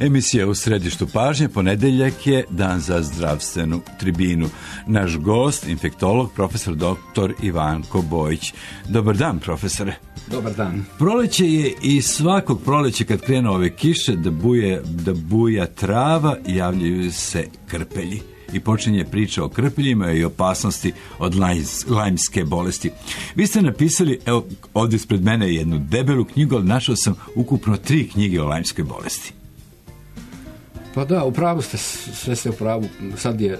Emisija u središtu pažnje, ponedeljak je dan za zdravstvenu tribinu. Naš gost, infektolog, profesor dr. Ivanko Bojić. Dobar dan, profesore. Dobar dan. Proleće je i svakog proleća kad krenu ove kiše da buja trava, javljaju se krpelji. I počinje priča o krpeljima i opasnosti od lajmske bolesti. Vi ste napisali, evo ovdje ispred mene jednu debelu knjigu, ali našao sam ukupno 3 knjige o lajmskoj bolesti. Pa da, u pravu ste, sve ste u pravu. Sad je,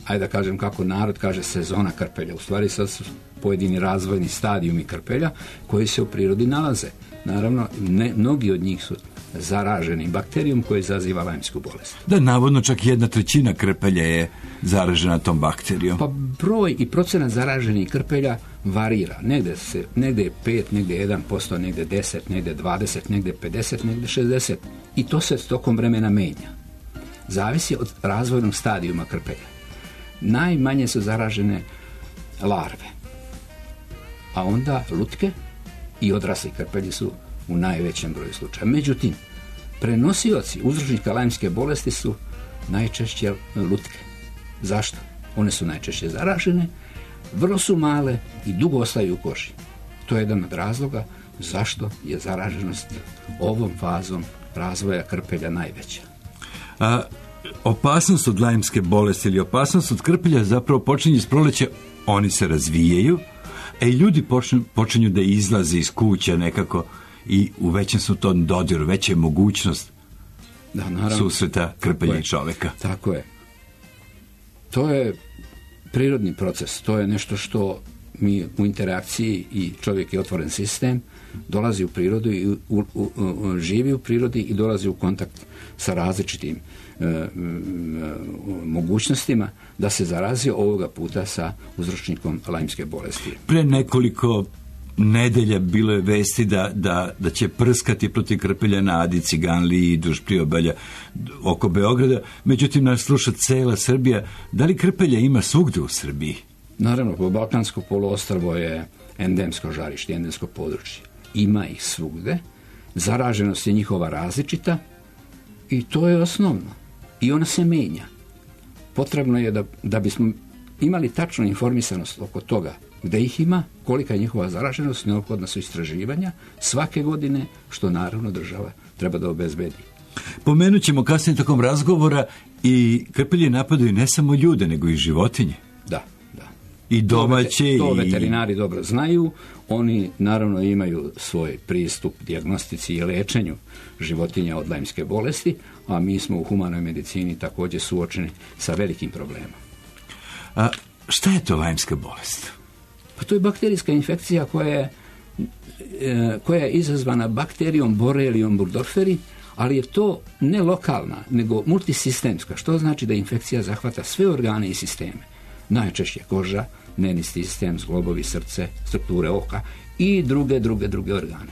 ajde da kažem kako narod kaže, sezona krpelja. U stvari sad su pojedini razvojni stadijumi krpelja koji se u prirodi nalaze. Naravno, mnogi od njih su zaraženi bakterijom koji izaziva lajmsku bolest. Da, navodno čak 1/3 krpelja je zaražena tom bakterijom. Pa broj i procenat zaraženih krpelja varira. Negde je 5, negde je 1%, negde 10, negde 20, negde 50, negde 60. I to se tokom vremena menja. Zavisi od razvojnog stadijuma krpelja. Najmanje su zaražene larve, a onda lutke i odrasli krpelji su u najvećem broju slučaja. Međutim, prenosioci uzročnika lajmske bolesti su najčešće lutke. Zašto? One su najčešće zaražene, vrlo su male i dugo ostaju u koži. To je jedan od razloga zašto je zaraženost ovom fazom razvoja krpelja najveća. Opasnost od lajmske bolesti ili opasnost od krpelja zapravo počinje s proleća, oni se razvijaju, a i ljudi počinju da izlaze iz kuća nekako i u većem su to dodiru, veća je mogućnost susreta krpelja i čoveka. Tako je. To je prirodni proces, to je nešto što mi u interakciji i čovjek je otvoren sistem, dolazi u prirodu i živi u prirodi i dolazi u kontakt sa različitim mogućnostima da se zarazi ovoga puta sa uzročnikom lajmske bolesti. Pre nekoliko nedelja bilo je vesti da će prskati protiv krpelja na Adi, Ciganliji i duž priobalja oko Beograda. Međutim, nas sluša cela Srbija. Da li krpelja ima svugde u Srbiji? Naravno, Balkansko poluostrvo je endemsko žarište, endemsko područje. Ima ih svugde. Zaraženost je njihova različita i to je osnovno. I ona se menja. Potrebno je da bismo imali tačnu informisanost oko toga gde ih ima, kolika je njihova zaraženost, neophodna su istraživanja svake godine, što naravno država treba da obezbedi. Pomenut ćemo kasnije tokom razgovora i krpelje napadaju ne samo ljude, nego i životinje. Da. I domaće. To veterinari dobro znaju. Oni naravno imaju svoj pristup dijagnostici i lečenju životinja od lajmske bolesti, a mi smo u humanoj medicini također suočeni sa velikim problemom. A šta je to lajmska bolest? Pa to je bakterijska infekcija koja je izazvana bakterijom Borreliom burgdorferi, ali je to ne lokalna, nego multisistemska, što znači da infekcija zahvata sve organe i sisteme. Najčešće koža, nervni sistem, zglobovi, srce, strukture oka i druge organe.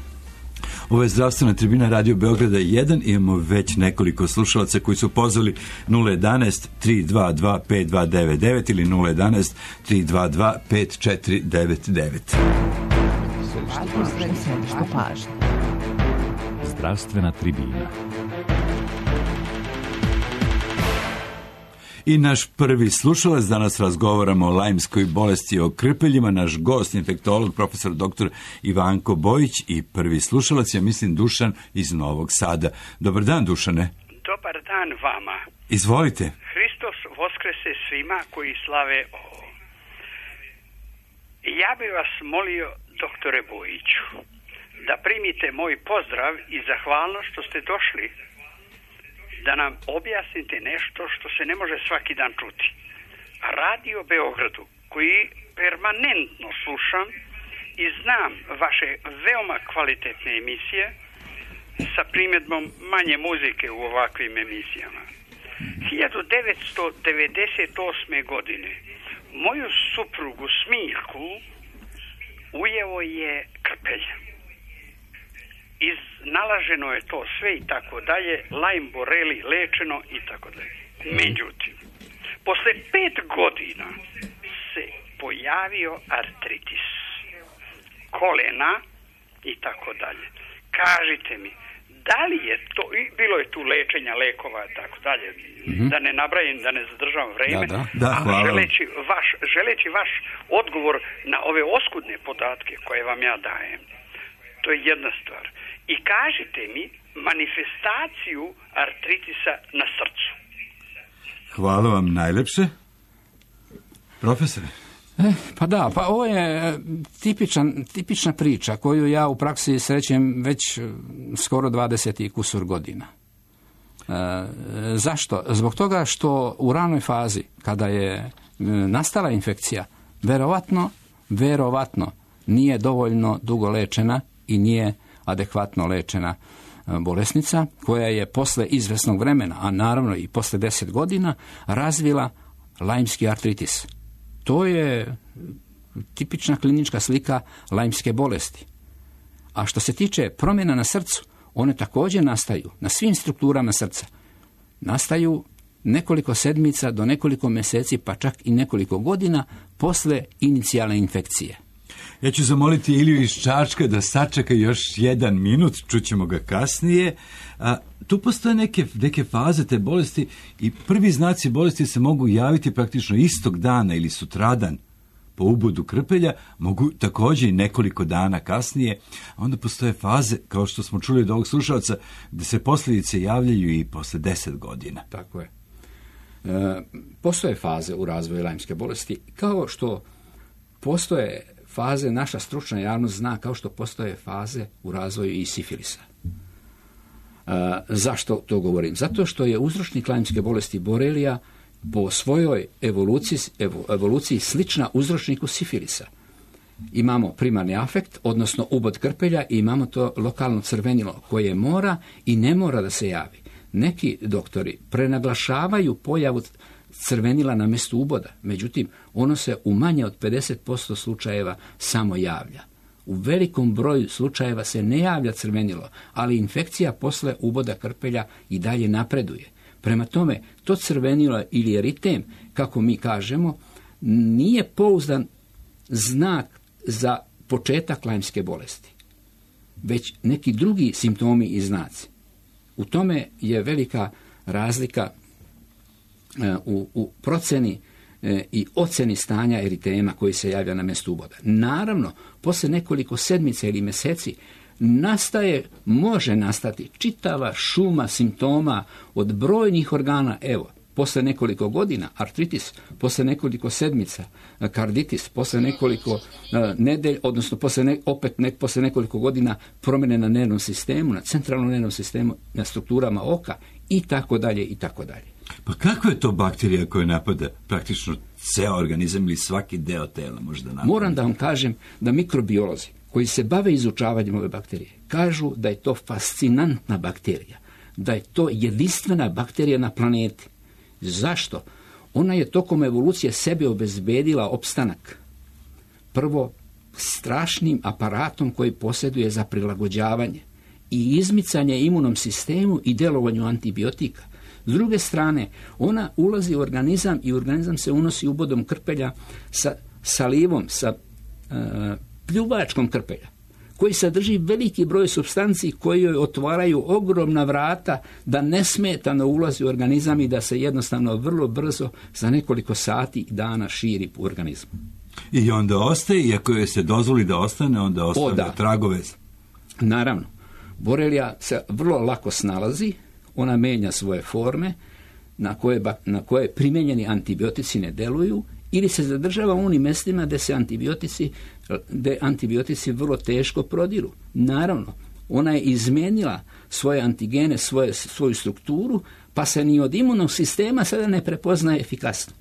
Ovo je zdravstvena tribina Radio Beograda 1. Imamo već nekoliko slušalaca koji su pozvali 011 322 5299 ili 011 322 5499. Zdravstvena tribina. I naš prvi slušalac, danas razgovaramo o lajmskoj bolesti, o krpeljima, naš gost, infektolog, profesor dr. Ivanko Bojić i prvi slušalac, ja mislim Dušan iz Novog Sada. Dobar dan, Dušane. Dobar dan vama. Izvolite. Hristos voskrese svima koji slave ovo. Ja bih vas molio, doktore Bojiću, da primite moj pozdrav i zahvalnost što ste došli da nam objasnite nešto što se ne može svaki dan čuti. Radio Beogradu, koji permanentno slušam i znam vaše veoma kvalitetne emisije sa primjedbom manje muzike u ovakvim emisijama. 1998. godine moju suprugu Smiljku ujeo je krpelj. Iznalaženo je to sve i tako dalje, Lyme boreli lečeno i tako dalje. Međutim, posle 5 godina se pojavio artritis kolena i tako dalje. Kažite mi, Da li je to, i bilo je tu lečenja, lekova, tako dalje, da ne nabrajim, da ne zadržavam vreme, Da, hvala. želeći vaš odgovor na ove oskudne podatke koje vam ja dajem. To je jedna stvar. I kažite mi manifestaciju artritisa na srcu. Hvala vam najlepše. Profesore? Pa ovo je tipična priča koju ja u praksi srećem već skoro 20 i kusur godina. Zašto? Zbog toga što u ranoj fazi, kada je nastala infekcija, verovatno nije dovoljno dugo lečena i nije adekvatno lečena bolesnica, koja je posle izvesnog vremena, a naravno i posle 10 godina, razvila lajmski artritis. To je tipična klinička slika lajmske bolesti. A što se tiče promjena na srcu, one također nastaju na svim strukturama srca. Nastaju nekoliko sedmica do nekoliko mjeseci, pa čak i nekoliko godina posle inicijalne infekcije. Ja ću zamoliti Iliju iz Čačka da sačeka još 1 minut, čućemo ga kasnije. Tu postoje neke faze te bolesti i prvi znaci bolesti se mogu javiti praktično istog dana ili sutradan po ubodu krpelja, mogu također i nekoliko dana kasnije. A onda postoje faze, kao što smo čuli od ovog slušalca, da se posljedice javljaju i posle 10 godina. Tako je. Postoje faze u razvoju lajmske bolesti, kao što postoje faze, naša stručna javnost zna, kao što postoje faze u razvoju i sifilisa. Zašto to govorim? Zato što je uzročnik lajmske bolesti borelija po svojoj evoluciji slična uzročniku sifilisa. Imamo primarni afekt, odnosno ubod krpelja, i imamo to lokalno crvenilo koje mora i ne mora da se javi. Neki doktori prenaglašavaju pojavu crvenila na mjestu uboda, međutim, ono se u manje od 50% slučajeva samo javlja. U velikom broju slučajeva se ne javlja crvenilo, ali infekcija posle uboda krpelja i dalje napreduje. Prema tome, to crvenilo ili eritem, kako mi kažemo, nije pouzdan znak za početak lajmske bolesti, već neki drugi simptomi i znaci. U tome je velika razlika u proceni i oceni stanja eritema koji se javlja na mjestu uboda. Naravno, poslije nekoliko sedmica ili mjeseci može nastati čitava šuma simptoma od brojnih organa. Evo, poslije nekoliko godina artritis, poslije nekoliko sedmica karditis, poslije nekoliko nedelj, odnosno poslije nekoliko godina promjene na nervnom sistemu, na centralnom nervnom sistemu, na strukturama oka i tako dalje i tako dalje. Pa kakva je to bakterija koja napada praktično ceo organizam ili svaki deo tela možda napada? Moram da vam kažem da mikrobiolozi koji se bave izučavanjem ove bakterije kažu da je to fascinantna bakterija, da je to jedinstvena bakterija na planeti. Zašto? Ona je tokom evolucije sebi obezbedila opstanak. Prvo, strašnim aparatom koji posjeduje za prilagođavanje i izmicanje imunom sistemu i delovanju antibiotika. S druge strane, ona ulazi u organizam i organizam se unosi ubodom krpelja sa salivom, sa pljuvačkom krpelja, koji sadrži veliki broj supstanci koji joj otvaraju ogromna vrata da nesmetano ulazi u organizam i da se jednostavno vrlo brzo za nekoliko sati i dana širi u organizmu. I onda ostaje, iako joj se dozvoli da ostane, onda ostavlja tragove. Naravno, borelija se vrlo lako snalazi, ona menja svoje forme na koje primijenjeni antibiotici ne deluju ili se zadržava u onim mjestima gdje antibiotici vrlo teško prodiru. Naravno, ona je izmijenila svoje antigene, svoju strukturu, pa se ni od imunog sistema sada ne prepoznaje efikasno.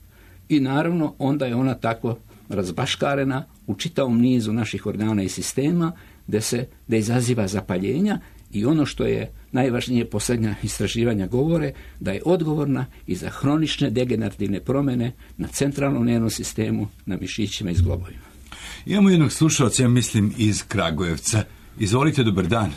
I naravno, onda je ona tako razbaškarena u čitavom nizu naših organa i sistema da izaziva zapaljenja. I ono što je najvažnije, posljednja istraživanja govore da je odgovorna i za hronične degenerativne promjene na centralnom nervnom sistemu, na mišićima i zglobovima. Imamo jednog slušalca, ja mislim, iz Kragujevca. Izvolite, dobar dan.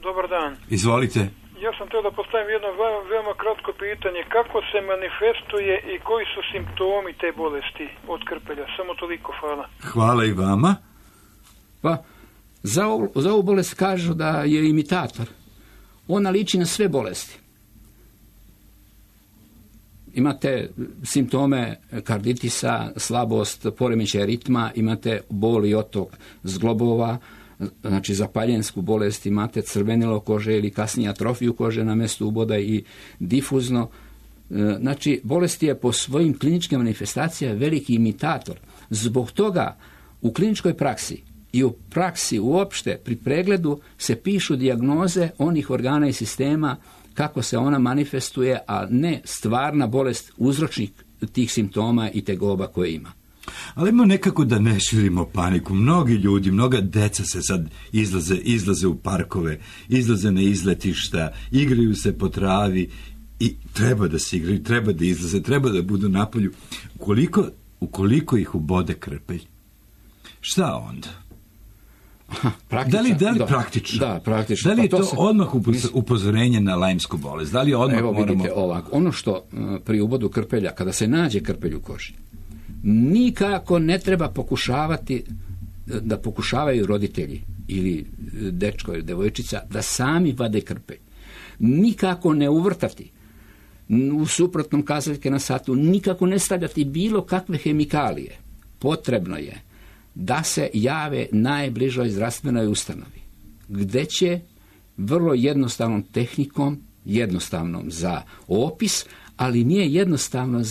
Dobar dan. Izvolite. Ja sam htio da postavim jedno veoma kratko pitanje. Kako se manifestuje i koji su simptomi te bolesti od krpelja? Samo toliko, hvala. Hvala i vama. Pa, za ovu bolest kažu da je imitator. ona liči na sve bolesti. Imate simptome karditisa, slabost, poremećaj ritma, imate bol i otok zglobova, znači zapaljensku bolest, imate crvenilo kože ili kasnije atrofiju kože na mjestu uboda i difuzno. Znači, bolest je po svojim kliničkim manifestacijama veliki imitator. Zbog toga u kliničkoj praksi i u praksi uopšte pri pregledu se pišu dijagnoze onih organa i sistema kako se ona manifestuje, a ne stvarna bolest, uzročnik tih simptoma i tegoba koje ima. Ali ima nekako da ne širimo paniku. Mnogi ljudi, mnoga deca se sad izlaze u parkove, izlaze na izletišta, igraju se po travi i treba da se igraju, treba da izlaze, treba da budu na polju. Ukoliko ih ubode krpelj, šta onda? Da li praktično? Da, praktično. Da li je to odmah upozorenje na lajmsku bolest? Da li odmah Evo vidite ovako. Ono što pri ubodu krpelja, kada se nađe krpelj u koži, nikako ne treba da pokušavaju roditelji ili dečko ili devojčica da sami vade krpelj. Nikako ne uvrtati u suprotnom kazaljke na satu, nikako ne stavljati bilo kakve hemikalije. Potrebno je da se jave najbližoj zdravstvenoj ustanovi, gdje će vrlo jednostavnom tehnikom, jednostavnom za opis, ali nije jednostavno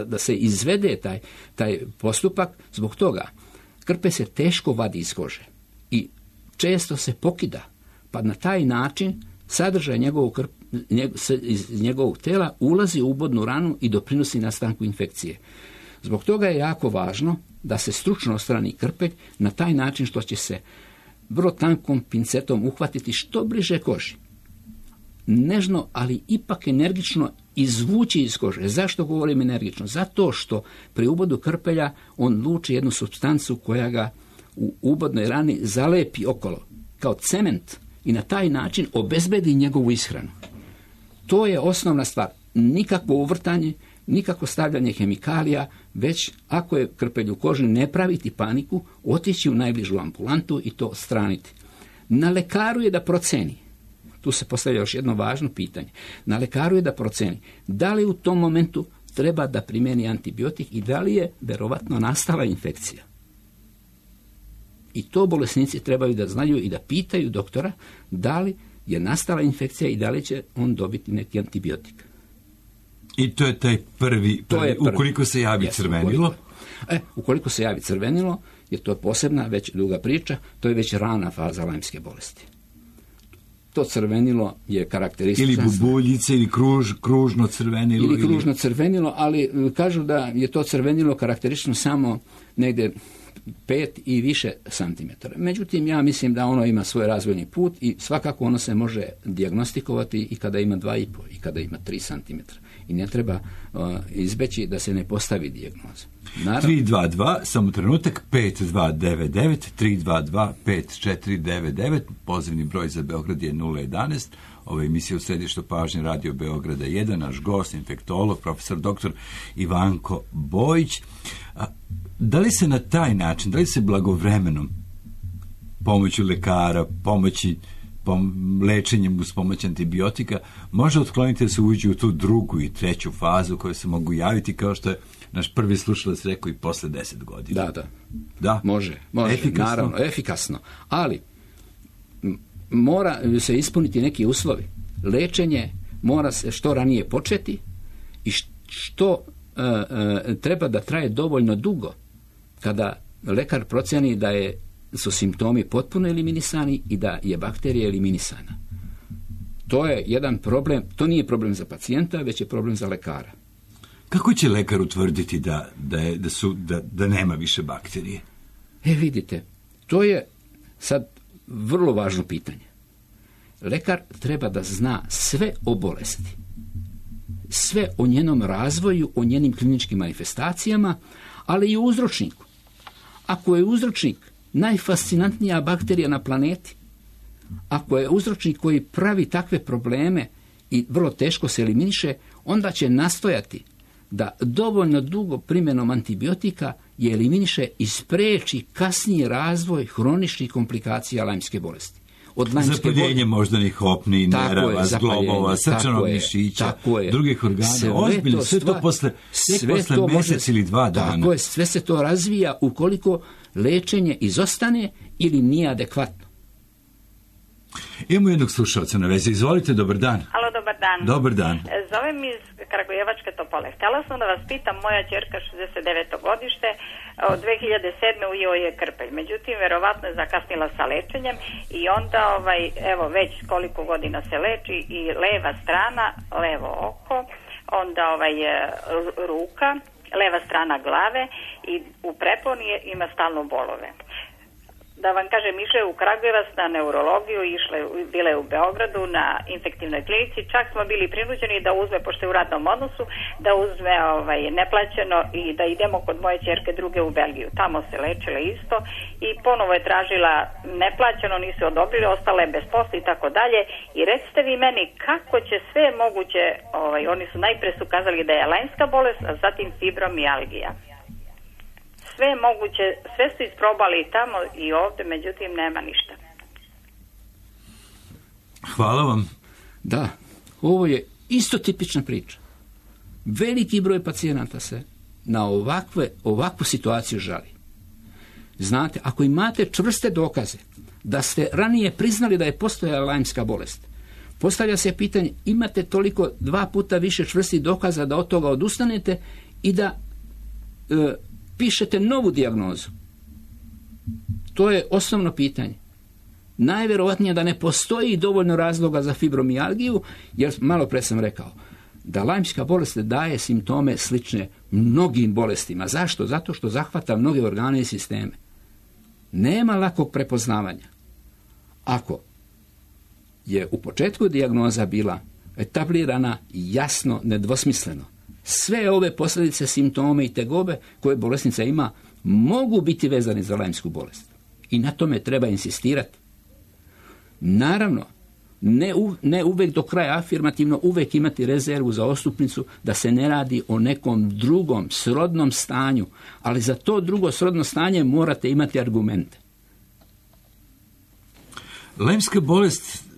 da se izvede taj postupak. Zbog toga krpelj se teško vadi iz kože i često se pokida, pa na taj način sadržaj iz njegovog tela ulazi u ubodnu ranu i doprinosi nastanku infekcije. Zbog toga je jako važno da se stručno odstrani krpelj na taj način što će se vrlo tankom pincetom uhvatiti što bliže koži. Nežno, ali ipak energično izvući iz kože. Zašto govorim energično? Zato što pri ubodu krpelja on luči jednu supstancu koja ga u ubodnoj rani zalepi okolo, kao cement, i na taj način obezbedi njegovu ishranu. To je osnovna stvar. Nikakvo uvrtanje, nikakvo stavljanje hemikalija, već ako je krpelj u koži, ne praviti paniku, otići u najbližu ambulantu i to odstraniti. Na lekaru je da proceni. Tu se postavlja još jedno važno pitanje. Na lekaru je da proceni da li u tom momentu treba da primjeni antibiotik i da li je verovatno nastala infekcija. I to bolesnici trebaju da znaju i da pitaju doktora da li je nastala infekcija i da li će on dobiti neki antibiotik. I to je taj prvi. Ukoliko se javi crvenilo? Ukoliko se javi crvenilo, jer to je posebna, već duga priča, to je već rana faza lajmske bolesti. To crvenilo je karakteristično. Ili bubuljice, ili kružno crvenilo. Ili kružno crvenilo, ali kažu da je to crvenilo karakteristično samo negdje 5 i više santimetara. Međutim, ja mislim da ono ima svoj razvojni put i svakako ono se može dijagnostikovati i kada ima 2,5 i kada ima 3 santimetra. I ne treba izbeći da se ne postavi dijagnoza. 322, samo trenutak, 5299, 322 5499, pozivni broj za Beograd je 011. Ova emisija u središtu pažnje Radio Beograda 1, naš gost, infektolog, profesor dr. Ivanko Bojić. Da li se na taj način, da li se blagovremenom pomoću lekara, lečenjem uz pomoć antibiotika može otkloniti da se uđe u tu drugu i treću fazu koje se mogu javiti, kao što je naš prvi slušalac rekao, i posle 10 godina? Da. Može. Efikasno? Naravno, efikasno. Ali mora se ispuniti neki uslovi. Lečenje mora se što ranije početi i što treba da traje dovoljno dugo kada lekar procjeni da su simptomi potpuno eliminisani i da je bakterija eliminisana. To je jedan problem, to nije problem za pacijenta, već je problem za lekara. Kako će lekar utvrditi da nema više bakterije? Vidite, to je sad vrlo važno pitanje. Lekar treba da zna sve o bolesti, sve o njenom razvoju, o njenim kliničkim manifestacijama, ali i o uzročniku. Ako je uzročnik najfascinantnija bakterija na planeti, ako je uzročnik koji pravi takve probleme i vrlo teško se eliminiše, onda će nastojati da dovoljno dugo primjenom antibiotika je eliminiše i spreči kasniji razvoj hroničnih komplikacija lajmske bolesti. od lajmske zapaljenje moždanih opni, nerava, zglobova, srčanog mišića, drugih organa, ozbiljno, sve to posle mjesec ili 2 dana. Tako je, sve se to razvija ukoliko lečenje izostane ili nije adekvatno. Imamo jednog slušalca na vezi. Izvolite, dobar dan. Alo, dobar dan. Dobar dan. Zovem iz Kragujevačke Topole. Htjela sam da vas pitam, moja ćerka 69. godište, od 2007. u joj je krpelj. Međutim, verovatno je zakasnila sa lečenjem i onda, evo, već koliko godina se leči i leva strana, levo oko, onda ruka, leva strana glave i u preponi ima stalno bolove. Da vam kažem, išla je u Kragujevac na neurologiju, bila je u Beogradu na infektivnoj klinici, čak smo bili prinuđeni da uzme, pošto je u radnom odnosu, da uzme neplaćeno i da idemo kod moje ćerke druge u Belgiju. Tamo se lečile isto i ponovo je tražila neplaćeno, nisu odobrili, ostala je bez posla i tako dalje. I recite vi meni kako će sve moguće, oni su najpre su kazali da je lajmska bolest, a zatim fibromijalgija. Sve moguće, sve su isprobali i tamo i ovdje, međutim nema ništa. Hvala vam. Da, ovo je isto tipična priča. Veliki broj pacijenata se na ovakvu situaciju žali. Znate, ako imate čvrste dokaze da ste ranije priznali da je postojala lajmska bolest, postavlja se pitanje, imate toliko 2 puta više čvrstih dokaza da od toga odustanete i da pišete novu dijagnozu. To je osnovno pitanje. Najvjerovatnije da ne postoji dovoljno razloga za fibromijalgiju, jer malo pre sam rekao da lajmska bolest daje simptome slične mnogim bolestima. Zašto? Zato što zahvata mnoge organe i sisteme. Nema lakog prepoznavanja. Ako je u početku dijagnoza bila etablirana jasno, nedvosmisleno, sve ove posljedice, simptome i tegobe koje bolesnica ima mogu biti vezani za lajmsku bolest. I na tome treba insistirati. Naravno, ne uvijek do kraja afirmativno, uvijek imati rezervu za odstupnicu da se ne radi o nekom drugom srodnom stanju, ali za to drugo srodno stanje morate imati argumente. Lajmska bolest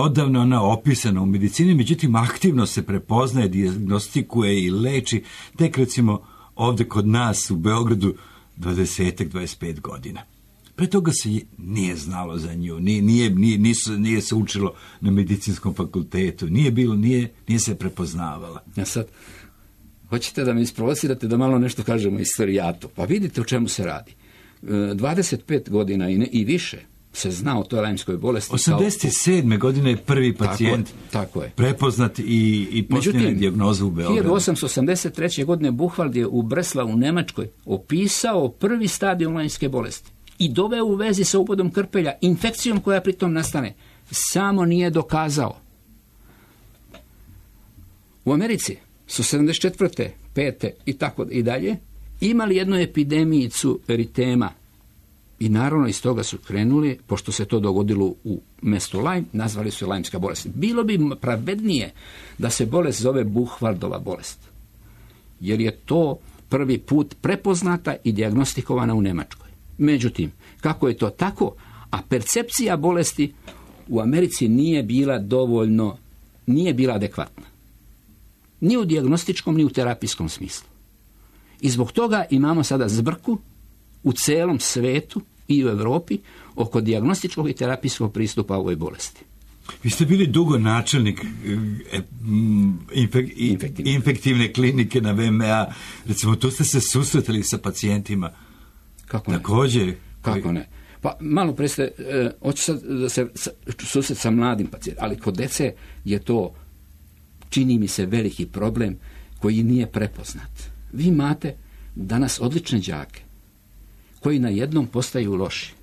odavno ona opisana u medicini, međutim aktivno se prepoznaje, dijagnostikuje i leči tek recimo ovdje kod nas u Beogradu 20-25 godina. Pre toga se nije znalo za nju, nije se učilo na medicinskom fakultetu, nije se prepoznavala. Ja sad, hoćete da me isprovocirate da malo nešto kažemo o istorijatu? Pa vidite o čemu se radi. 25 godina i više se zna o toj lajmskoj bolesti. 87. godine je prvi pacijent tako je. Prepoznat i postavljena dijagnoza u Beogradu. 1883. godine Buchwald je u Breslavu u Njemačkoj opisao prvi stadijum lajmske bolesti i doveo u vezi sa ubodom krpelja, infekcijom koja pritom nastane. Samo nije dokazao. U Americi su 74. 5. i tako i dalje imali jednu epidemijicu eritema. I naravno iz toga su krenuli, pošto se to dogodilo u mjestu Lajm, nazvali su je lajmska bolest. Bilo bi pravednije da se bolest zove Buchwaldova bolest. Jer je to prvi put prepoznata i dijagnostikovana u Njemačkoj. Međutim, kako je to tako, a percepcija bolesti u Americi nije bila adekvatna. Ni u dijagnostičkom, ni u terapijskom smislu. I zbog toga imamo sada zbrku u celom svetu i u Europi oko dijagnostičkog i terapijskog pristupa ovoj bolesti. Vi ste bili dugo načelnik infektivne klinike na VMA. Recimo, tu ste se susretali sa pacijentima. Kako ne? Također. Kako ne? Pa malo pre ste, hoću sad da se susret sa mladim pacijentima, ali kod dece je to, čini mi se, veliki problem koji nije prepoznat. Vi imate danas odlične đake koji na jednom postaju loši.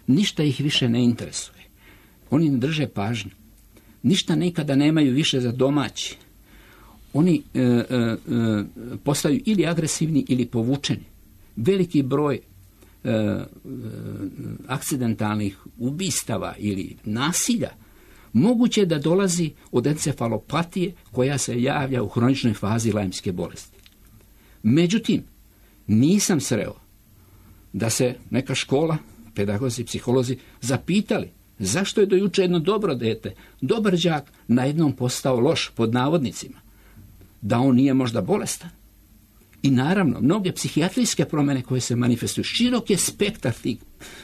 Ništa ih više ne interesuje. Oni ne drže pažnju. Ništa nikada nemaju više za domaći. Oni postaju ili agresivni ili povučeni. Veliki broj akcidentalnih ubistava ili nasilja moguće je da dolazi od encefalopatije koja se javlja u hroničnoj fazi lajmske bolesti. Međutim, nisam sreo da se neka škola, pedagozi, psiholozi zapitali Zašto je do juče jedno dobro dete, dobar đak, najednom postao loš, pod navodnicima? Da on nije možda bolestan? I naravno, mnoge psihijatrijske promjene koje se manifestuju, širok je spektar tih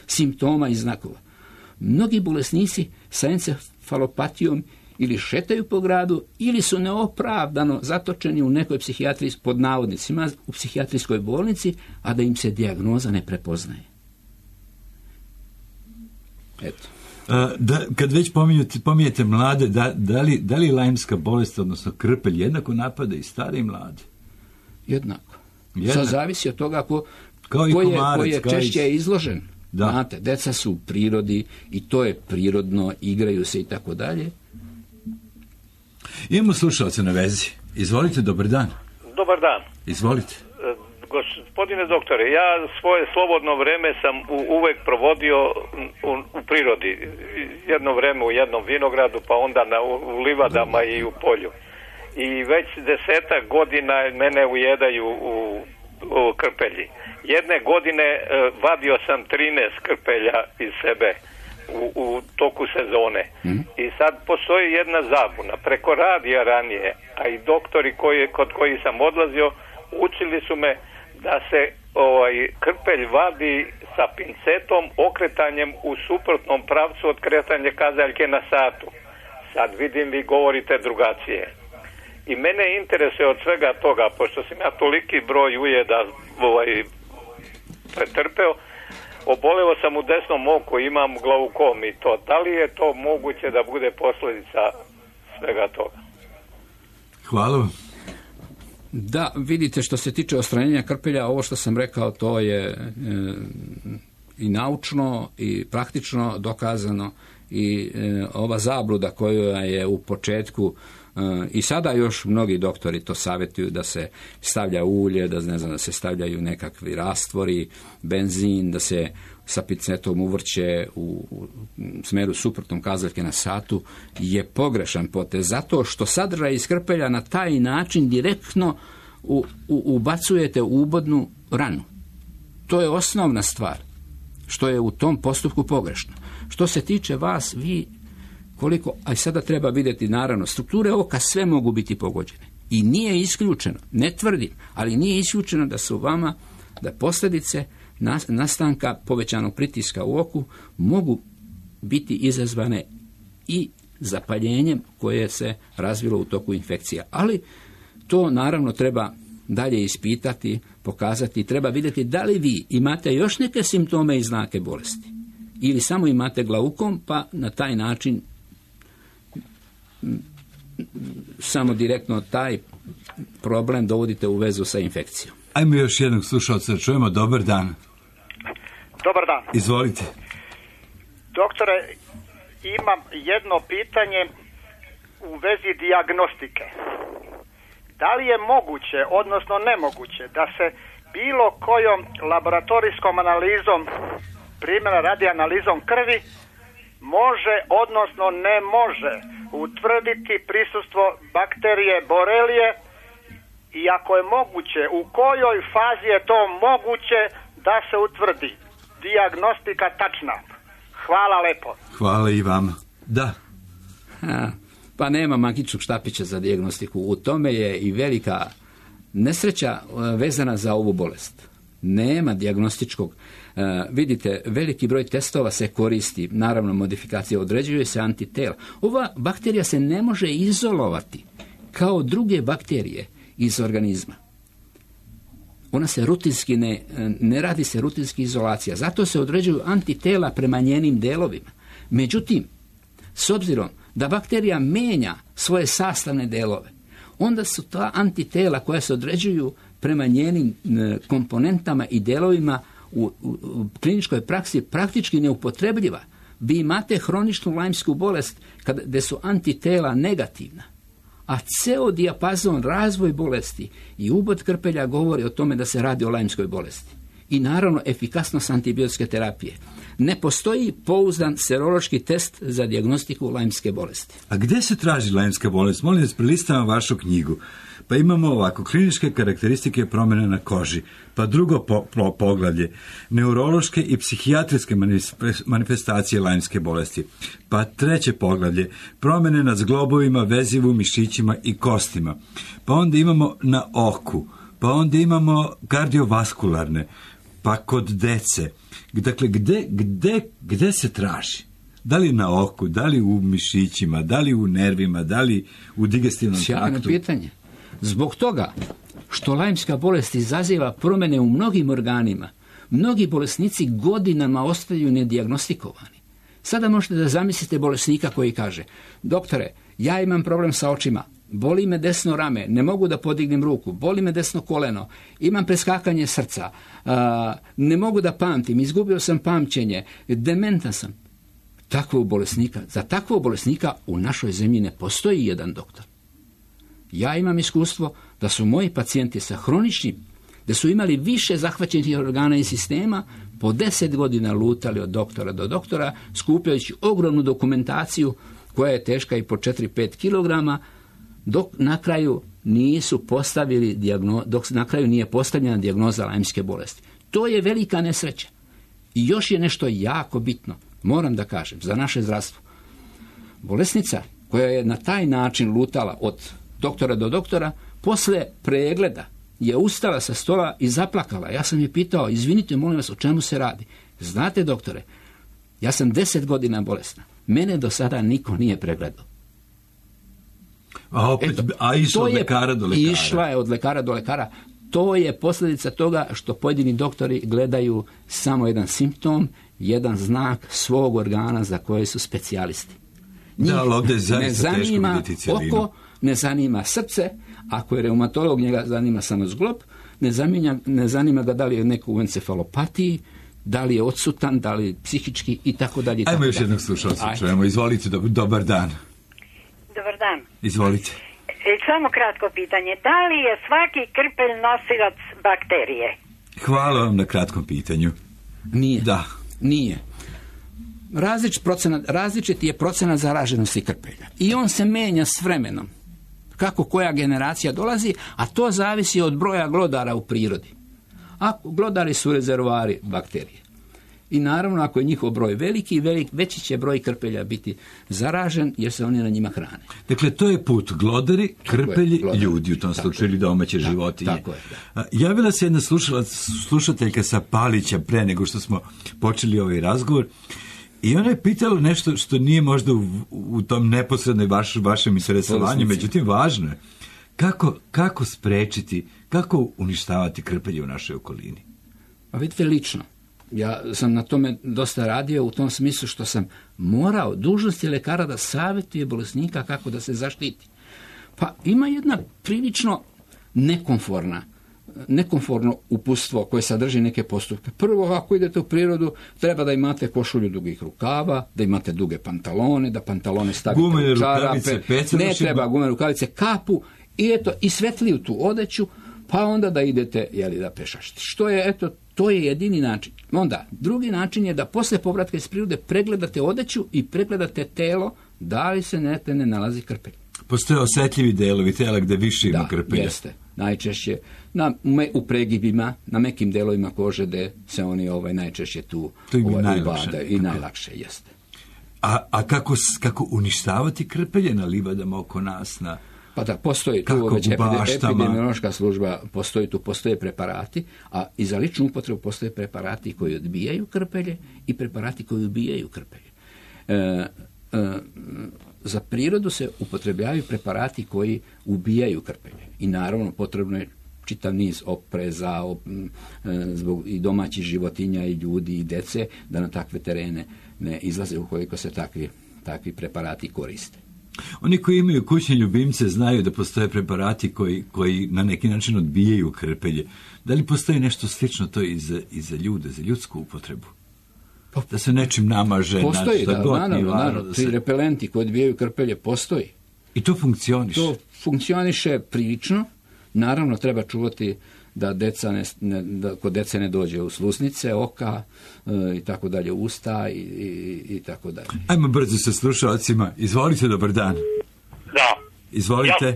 simptoma i znakova. Mnogi bolesnici sa encefalopatijom ili šetaju po gradu, ili su neopravdano zatočeni u nekoj psihijatriji, pod navodnicima, u psihijatrijskoj bolnici, a da im se dijagnoza ne prepoznaje. Eto. Kad već pominjete mlade, da li lajmska bolest, odnosno krpelj, jednako napada i stare i mlade? Jednako. Sad zavisi od toga ko je češće izložen. Da. Znate, deca su u prirodi i to je prirodno, igraju se i tako dalje. Imamo slušalce na vezi. Izvolite, dobar dan. Dobar dan. Izvolite. Gospodine doktore, ja svoje slobodno vreme sam uvek provodio u prirodi. Jedno vreme u jednom vinogradu, pa onda u livadama i u polju. I već 10 godina mene ujedaju u krpelji. Jedne godine vadio sam 13 krpelja iz sebe u toku sezone. I sad postoji jedna zabuna. Preko radija ranije, a i doktori kod koji sam odlazio, učili su me da se krpelj vadi sa pincetom, okretanjem u suprotnom pravcu od kretanja kazaljke na satu. Sad vidim, vi govorite drugačije. I mene interesuje od svega toga, pošto sam ja toliki broj ujeda pretrpeo, oboleo sam u desnom oku, imam glaukom i to. Da li je to moguće da bude posljedica svega toga? Hvala vam. Da, vidite, što se tiče odstranjenja krpelja, ovo što sam rekao, to je i naučno i praktično dokazano, i ova zabluda koja je u početku, i sada još mnogi doktori to savjetuju, da se stavlja ulje, da se stavljaju nekakvi rastvori, benzin, da se sa pincetom uvrće u smeru suprotnom kazaljke na satu, je pogrešan potez, zato što sadržaj iz krpelja na taj način direktno ubacujete u ubodnu ranu. To je osnovna stvar, što je u tom postupku pogrešno. Što se tiče vas, vi koliko, a sada treba vidjeti, naravno, strukture oka sve mogu biti pogođene. I nije isključeno, ne tvrdim, ali nije isključeno da su vama, da posljedice nastanka povećanog pritiska u oku mogu biti izazvane i zapaljenjem koje se razvilo u toku infekcija. Ali to naravno treba dalje ispitati, pokazati, treba vidjeti da li vi imate još neke simptome i znake bolesti. Ili samo imate glaukom, pa na taj način samo direktno taj problem dovodite u vezu sa infekcijom. Ajmo još jednog slušalca, čujemo. Dobar dan. Dobar dan. Izvolite. Doktore, imam jedno pitanje u vezi dijagnostike. Da li je moguće, odnosno nemoguće, da se bilo kojom laboratorijskom analizom, primjera radi analizom krvi, može, odnosno ne može utvrditi prisustvo bakterije borelije, i ako je moguće, u kojoj fazi je to moguće da se utvrdi dijagnostika tačna? Hvala lepo. Hvala i vama. Da. Pa nema magičnog štapića za dijagnostiku. U tome je i velika nesreća vezana za ovu bolest. Nema dijagnostičkog. Vidite, veliki broj testova se koristi, naravno modifikacija, određuje se antitela. Ova bakterija se ne može izolovati kao druge bakterije iz organizma. Ona se rutinski ne radi se rutinski izolacija, zato se određuju antitela prema njenim delovima. Međutim, s obzirom da bakterija menja svoje sastavne delove, onda su ta antitela koja se određuju prema njenim komponentama i delovima u kliničkoj praksi praktički neupotrebljiva. Vi imate hroničnu lajmsku bolest gdje su antitela negativna, a ceo dijapazon, razvoj bolesti i ubod krpelja govori o tome da se radi o lajmskoj bolesti. I naravno efikasnost antibiotske terapije. ne postoji pouzdan serološki test za dijagnostiku lajmske bolesti. A gdje se traži lajmska bolest? Molim vas, prelistavam vašu knjigu. Pa imamo ovako, kliničke karakteristike promjene na koži, pa drugo poglavlje, neurološke i psihijatrijske manifestacije lajmske bolesti, pa treće poglavlje, promjene na zglobovima, vezivu, mišićima i kostima, pa onda imamo na oku, pa onda imamo kardiovaskularne, pa kod dece. Dakle, gde se traži? Da li na oku, da li u mišićima, da li u nervima, da li u digestivnom traktu? Sjajno pitanje. Zbog toga što lajmska bolest izaziva promjene u mnogim organima, mnogi bolesnici godinama ostaju nedijagnostikovani. Sada možete da zamislite bolesnika koji kaže: doktore, ja imam problem sa očima, boli me desno rame, ne mogu da podignem ruku, boli me desno koleno, imam preskakanje srca, ne mogu da pamtim, izgubio sam pamćenje, dementan sam. Za takvog bolesnika u našoj zemlji ne postoji jedan doktor. Ja imam iskustvo da su moji pacijenti sa hroničnim, da su imali više zahvaćenih organa i sistema, po 10 godina lutali od doktora do doktora, skupljajući ogromnu dokumentaciju koja je teška i po 4-5 kilograma, dok na kraju nije postavljena dijagnoza lajmske bolesti. To je velika nesreća. I još je nešto jako bitno, moram da kažem, za naše zdravstvo. Bolesnica koja je na taj način lutala od doktora do doktora, posle pregleda je ustala sa stola i zaplakala. Ja sam je pitao: izvinite, molim vas, o čemu se radi? Znate, doktore, ja sam 10 godina bolesna. Mene do sada niko nije pregledao. Išla od lekara do lekara. Išla je od lekara do lekara. To je posljedica toga što pojedini doktori gledaju samo jedan simptom, jedan znak svog organa za koje su specijalisti. Njih ne zanima oko, ne zanima srce, ako je reumatolog, njega zanima samo zglob, ne zanima ga da li je neko u encefalopatiji, da li je odsutan, da li je psihički i tako dalje. Ajmo još jednog slušalca čujemo. Izvolite, dobar dan. Dobar dan. Izvolite. Samo kratko pitanje. Da li je svaki krpelj nosilac bakterije? Hvala vam na kratkom pitanju. Nije. Da. Nije. Različiti je procenat zaraženosti krpelja. I on se menja s vremenom. Kako koja generacija dolazi, a to zavisi od broja glodara u prirodi. Glodari su rezervoari bakterije. I naravno, ako je njihov broj veliki, veći će broj krpelja biti zaražen, jer se oni na njima hrane. Dakle, to je put glodari, krpelji, ljudi, u tom slučaju ili domaće životinje. Tako je. Javila se jedna slušateljka sa Palića pre nego što smo počeli ovaj razgovor, i ona je pitala nešto što nije možda u tom neposrednoj vašem interesovanju, međutim važno je. Kako sprečiti, kako uništavati krpelje u našoj okolini? Pa vidite, lično. Ja sam na tome dosta radio u tom smislu što sam morao, dužnost je lekara da savjetuje bolesnika kako da se zaštiti. Pa ima jedna prilično nekomforno uputstvo koje sadrži neke postupke. Prvo, ako idete u prirodu, treba da imate košulju dugih rukava, da imate duge pantalone, da pantalone stavite u čarape, ne treba gumene rukavice, kapu i svetliju tu odeću, pa onda da idete da pešašite. To je jedini način. Onda, drugi način je da posle povratka iz prirode pregledate odeću i pregledate telo, da li se ne nalazi krpelj. Postoje osjetljivi delovi tela gde više ima krpelja. Jeste. Najčešće u pregibima, na mekim delovima kože gde se oni najčešće tu ubadaju i najlakše jeste. A kako uništavati krpelje na livadama oko nas? Pa da, postoji tu već epidemiološka služba, postoje preparati, a i za ličnu upotrebu postoje preparati koji odbijaju krpelje i preparati koji ubijaju krpelje. Za prirodu se upotrebljavaju preparati koji ubijaju krpelje. I naravno potrebno je čitav niz opreza zbog i domaćih životinja i ljudi i dece da na takve terene ne izlaze ukoliko se takvi preparati koriste. Oni koji imaju kućne ljubimce znaju da postoje preparati koji na neki način odbijaju krpelje. Da li postoji nešto slično to i za ljude, za ljudsku upotrebu? Da se nečim namaže. Postoji, naravno. Ti repelenti koji odbijaju krpelje postoji. I to funkcioniše? To funkcioniše prilično. Naravno, treba čuvati da kod dece ne dođe u sluznice, oka i tako dalje, usta i tako dalje. Ajmo brzo sa slušalcima. Izvolite, dobar dan. Da. Izvolite.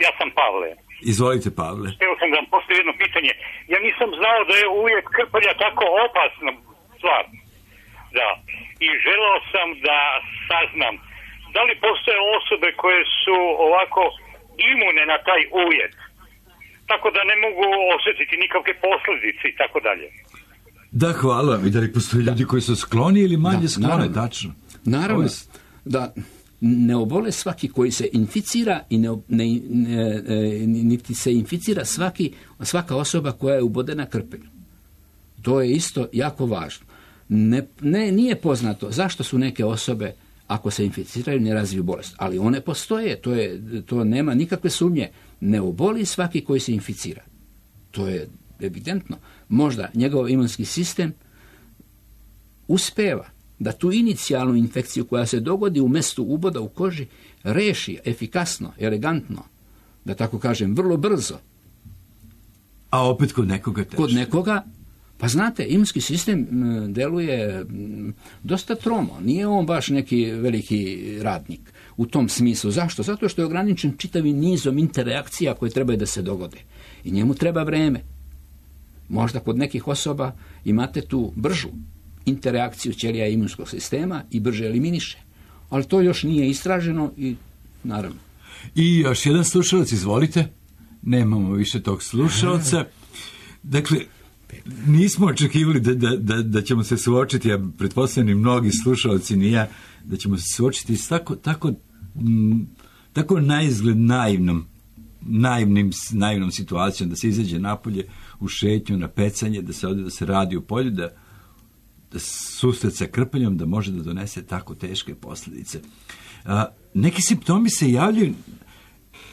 Ja sam Pavle. Izvolite, Pavle. Htio sam da vam postavim jedno pitanje. Ja nisam znao da je uvijek krpelja tako opasna stvar. Da. I želeo sam da saznam da li postoje osobe koje su ovako imune na taj uvjet, tako da ne mogu osjetiti nikakve posljedice i tako dalje. Da, hvala vam. I da li postoje ljudi koji su skloni ili manje sklone, tačno? Naravno, da ne obole svaki koji se inficira i niti se inficira svaka osoba koja je ubodena krpelju. To je isto jako važno. Nije poznato zašto su neke osobe, ako se inficiraju, ne razviju bolest. Ali one postoje, to nema nikakve sumnje. Ne oboli svaki koji se inficira. To je evidentno. Možda njegov imunski sistem uspeva da tu inicijalnu infekciju koja se dogodi u mjestu uboda u koži reši efikasno, elegantno, da tako kažem, vrlo brzo. A opet kod nekoga teže. Kod nekoga, pa znate, imunski sistem deluje dosta tromo. Nije on baš neki veliki radnik u tom smislu. Zašto? Zato što je ograničen čitavim nizom interakcija koje trebaju da se dogode. I njemu treba vreme. Možda kod nekih osoba imate tu bržu interakciju ćelija imunskog sistema i brže eliminiše. Ali to još nije istraženo i naravno. I još jedan slušalac, izvolite. Nemamo više tog slušalca. Dakle, nismo očekivali da ćemo se suočiti, ja pretpostavljam mnogi slušalci, ni ja, da ćemo se suočiti s tako naizgled naivnom situacijom, da se izađe napolje u šetnju, na pecanje, da se ode, da se radi u polju, da susret sa krpeljom, da može da donese tako teške posljedice. Neki simptomi se javljaju,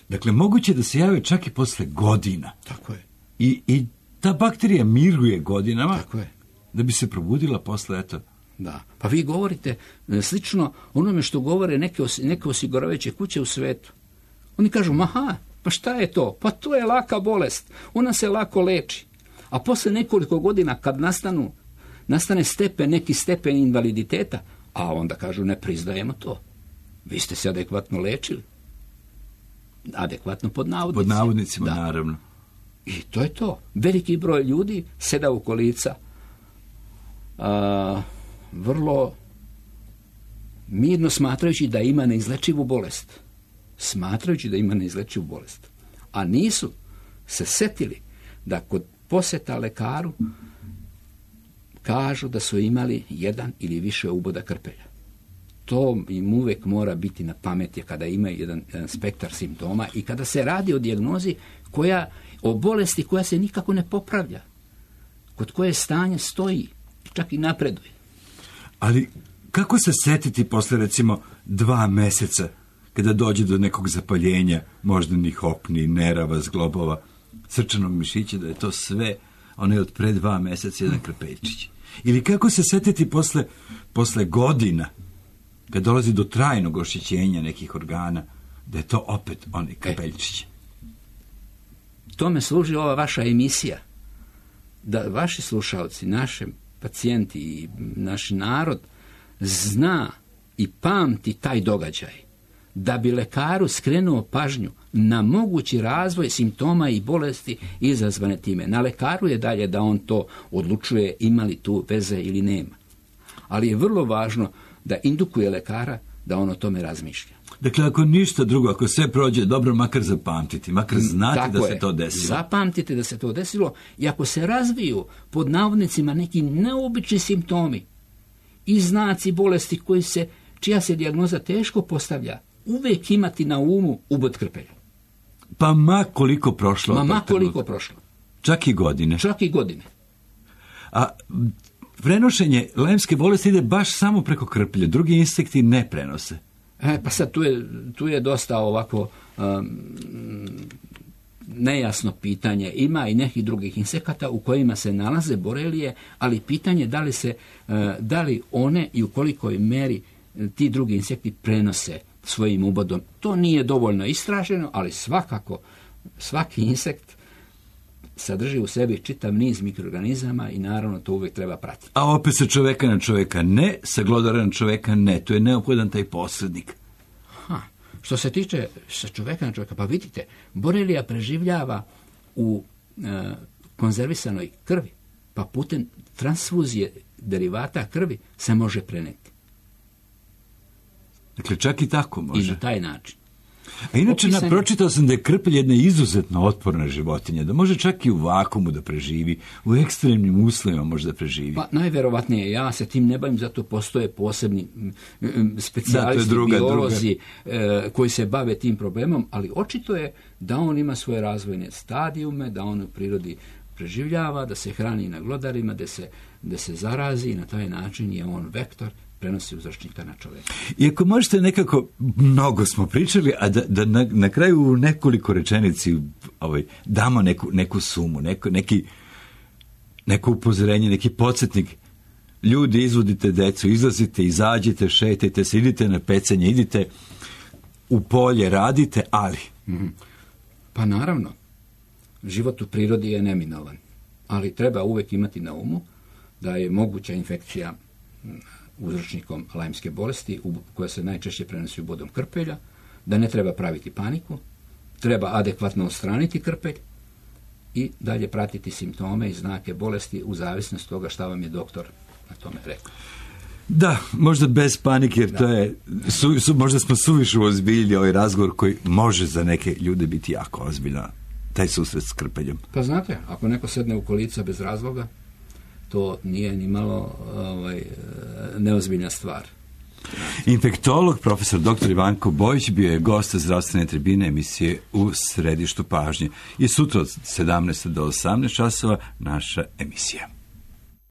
dakle, moguće da se jave čak i posle godina. Tako je. I ta bakterija miruje godinama, tako je, da bi se probudila posle, eto. Da. Pa vi govorite slično onome što govore neke osiguravajuće kuće u svetu. Oni kažu, pa šta je to? Pa to je laka bolest. Ona se lako leči. A posle nekoliko godina kad nastane neki stepen invaliditeta, a onda kažu, ne priznajemo to. Vi ste se adekvatno lečili. Adekvatno pod navodnicima. Pod navodnicima, da. Naravno. I to je to. Veliki broj ljudi seda u kolica vrlo mirno smatrajući da ima neizlečivu bolest. A nisu se setili da kod posjeta lekaru kažu da su imali jedan ili više uboda krpelja. To im uvijek mora biti na pameti kada imaju jedan spektar simptoma i kada se radi o dijagnozi o bolesti koja se nikako ne popravlja, kod koje stanje stoji, čak i napreduje. Ali kako se setiti posle recimo 2 meseca kada dođe do nekog zapaljenja moždanih opni, nerava, zglobova, srčanog mišića, da je to sve onaj od pre 2 meseca jedan krpeljčić? Ili kako se setiti posle godina kad dolazi do trajnog oštećenja nekih organa, da je to opet onaj krpeljčić? Tome služi ova vaša emisija, da vaši slušalci, naši pacijenti i naš narod zna i pamti taj događaj, da bi lekaru skrenuo pažnju na mogući razvoj simptoma i bolesti izazvane time. Na lekaru je dalje da on to odlučuje ima li tu veze ili nema. Ali je vrlo važno da indukuje lekara da on o tome razmišlja. Dakle, ako ništa drugo, ako sve prođe dobro, makar zapamtiti, makar znati tako da se to desilo. Zapamtite da se to desilo i ako se razviju pod navodnicima neki neobični simptomi i znaci bolesti čija se dijagnoza teško postavlja, uvijek imati na umu ubod krpelja. Pa ma koliko prošlo. Čak i godine. A prenošenje lajmske bolesti ide baš samo preko krpelja. Drugi insekti ne prenose. Pa sad tu je dosta ovako nejasno pitanje. Ima i nekih drugih insekata u kojima se nalaze borelije, ali pitanje da li one i u kolikoj meri ti drugi insekti prenose svojim ubodom. To nije dovoljno istraženo, ali svakako svaki insekt sadrži u sebi čitav niz mikroorganizama i naravno to uvijek treba pratiti. A opet sa čoveka na čoveka ne, sa glodara na čoveka ne. To je neophodan taj posrednik. Što se tiče sa čoveka na čoveka, pa vidite, borelija preživljava u konzervisanoj krvi, pa putem transfuzije derivata krvi se može preneti. Dakle, čak i tako može. I na taj način. A inače, pročitao sam da je krpelj jedna izuzetno otporna životinja, da može čak i u vakumu da preživi, u ekstremnim uslovima može da preživi. Pa najverovatnije, ja se tim ne bavim, zato postoje posebni specijalisti, biolozi koji se bave tim problemom, ali očito je da on ima svoje razvojne stadijume, da on u prirodi preživljava, da se hrani na glodarima, da se zarazi i na taj način je on vektor, prenosi uzročnika na čovjeka. Iako možete nekako, mnogo smo pričali, a da na kraju u nekoliko rečenici damo neku sumu, neko upozorenje, neki podsjetnik. Ljudi, izvodite decu, izlazite, izađite, šetajte se, idite na pecanje, idite u polje, radite, ali... Pa naravno, život u prirodi je neminovan, ali treba uvijek imati na umu da je moguća infekcija uzročnikom lajmske bolesti koja se najčešće prenosi ubodom krpelja, da ne treba praviti paniku, treba adekvatno odstraniti krpelj i dalje pratiti simptome i znake bolesti u zavisnosti toga šta vam je doktor na tome rekao. Da, možda bez panike, jer to je, možda smo suviše ozbiljili ovaj razgovor koji može za neke ljude biti jako ozbiljno, taj susret s krpeljom. Pa znate, ako neko sedne u kolica bez razloga, to nije ni malo neozbiljna stvar. Infektolog, profesor dr. Ivanko Bojić bio je gost zdravstvene tribine emisije U središtu pažnje. I sutra od 17 do 18 časova naša emisija.